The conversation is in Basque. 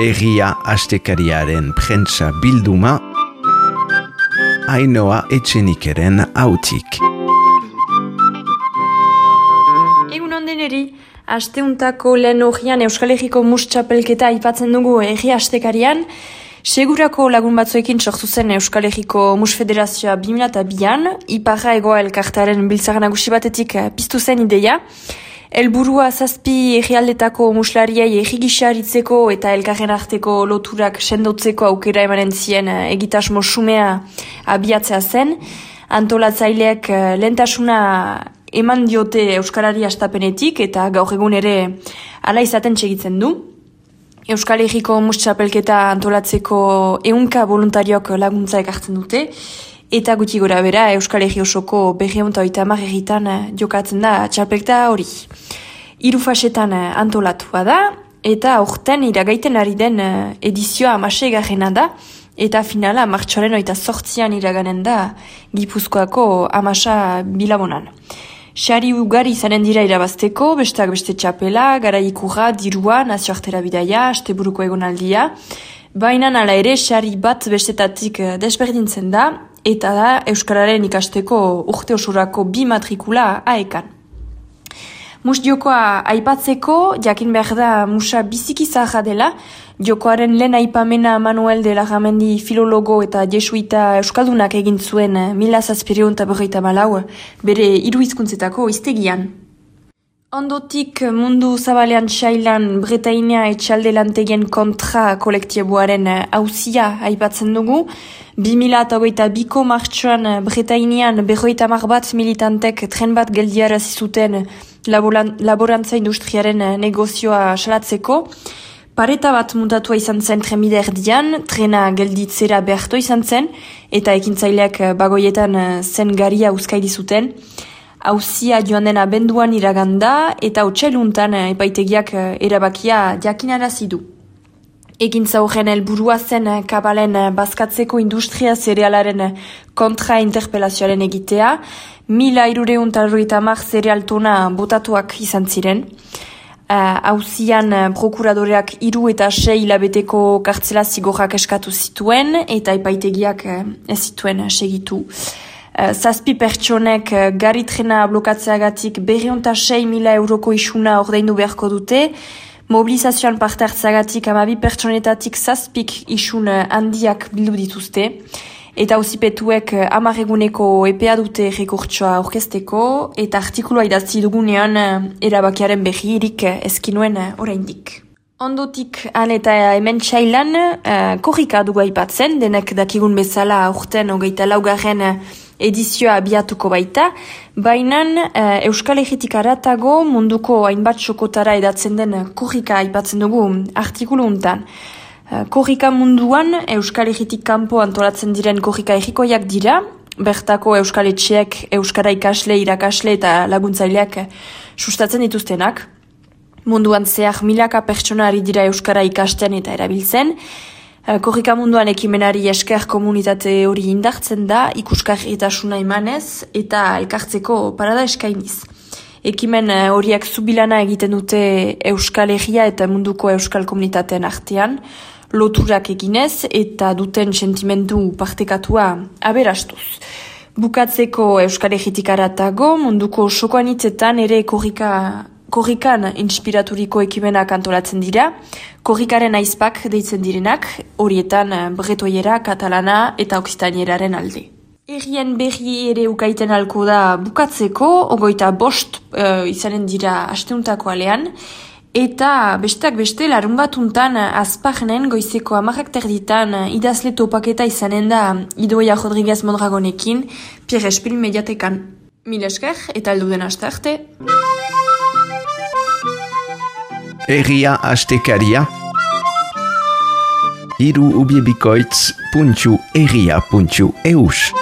Egia astekariaren prentsa bilduma, Ainhoa Etxenikeren hautik. Egun ondeneri, asteuntako lehen horian Euskal Herriko mus txapelketa aipatzen dugu Egia astekarian. Segurako lagun batzuekin sortu zen Euskal Herriko Mus Federazioa 2002an, Iparra Egoa elkartearen biltzar nagusi batetik piztu zen ideia. Helburua 7 herrialdetako muslariei errigisa aritzeko eta elkarren arteko loturak sendotzeko aukera emanen zien egitasmo xumea abiatzea zen. Antolatzaileek lehentasuna eman diote Euskarari astapenetik eta gaur egun ere hala izaten segitzen du. Euskal Herriko mus txapelketa antolatzeko 100 voluntariok laguntza ekartzen dute. Eta gutxi gora bera, Euskal Herri osoko 230 herritan jokatzen da txapelketa hori. 3 fasetan antolatua da, eta aurten iragaiten ari den edizioa 16garrena da, eta finala martxoaren 28an iraganen da Gipuzkoako 10 bilabonan. Sari ugari izanen dira irabazteko, besteak beste txapela, garaikurra, dirua, nazioartera bidaia, asteburuko egonaldia, baina hala ere sari bat bestetatik desberdintzen da, eta da Euskararen ikasteko urte osurako 2 matrikula aekan. Mus jokoa aipatzeko, jakin behar da musa biziki zaharra dela, jokoaren lehen aipamena Manuel de Larramendi filologo eta jesuita euskaldunak egin zuen 1754 bere 3 hizkuntzetako hiztegian. Ondotik mundu zabalean xailan Bretainia etxalde lantegien kontra kolektiboaren auzia aipatzen dugu. 2022ko martxoan Bretainian 50 bat militantek tren bat geldiarazi zuten laborantza industriaren negozioa salatzeko. Pareta bat mutatua izan zen trenbide erdian, trena gelditzera behartu izan zen, eta ekintzaileak bagoietan zen garia uzkaili zuten. Auzia joan den abenduan iraganda eta otsailuntan epaitegiak erabakia jakinarazi du. Ekintza horren helburua zen kabalen bazkatzeko industria zerealaren kontra interpelazioaren egitea, 1350 zereal tona botatuak izan ziren. Auzian prokuradoreak 3 eta 6 hilabeteko kartzela zigorrak eskatu zituen eta epaitegiak ez zituen segitu. 7 pertsonek garitrena blokatzeagatik 206.000 euroko isuna ordaindu beharko dute, mobilizazioan parte hartzeagatik 12 pertsonetatik 7 isun handiak bildu dituzte, eta auzipetuek 10 eguneko epea dute rekurtsoa aurkezteko, eta artikulua idatzi dugunean erabakiaren berririk ezkinuen oraindik. Ondotik han eta hemen txailan korrika dugu aipatzen, denek dakigun bezala aurten 24. edizioa abiatuko baita, baina Euskal Herritik aratago munduko hainbat sokotara edatzen den korrika aipatzen dugu artikulu untan. Korrika munduan Euskal Herritik kanpo antolatzen diren korrika herrikoiak dira, bertako Euskal Etxeek, Euskara ikasle, irakasle eta laguntzaileak sustatzen dituztenak. Munduan zehar milaka pertsona ari dira Euskara ikasten eta erabiltzen. Korrika munduan ekimenari esker komunitate hori indartzen da, ikusgarritasuna emanez eta elkartzeko parada eskainiz. Ekimen horiek zubilana egiten dute Euskal Herria eta munduko Euskal komunitateen artean, loturak eginez eta duten sentimendu partekatua aberastuz. Bukatzeko Euskal Herritik aratago, munduko sokoanitzetan ere korrikan inspiraturiko ekimenak antolatzen dira, korrikaren aizpak deitzen direnak, horietan bretoiera, katalana eta oksitanieraren alde. Herrien berri ere ukaiten alko da bukatzeko, 25 izanen dira asteuntako alean, eta besteak beste larun batuntan azparnen goizeko 10:00 idazle topaketa izanen da Idoia Rodriguez Mondragonekin, Pierre Espil mediatekan. Mil esker eta heldu den aste arte. Egia astekaria, hiru ubiebikoitz.egia.eus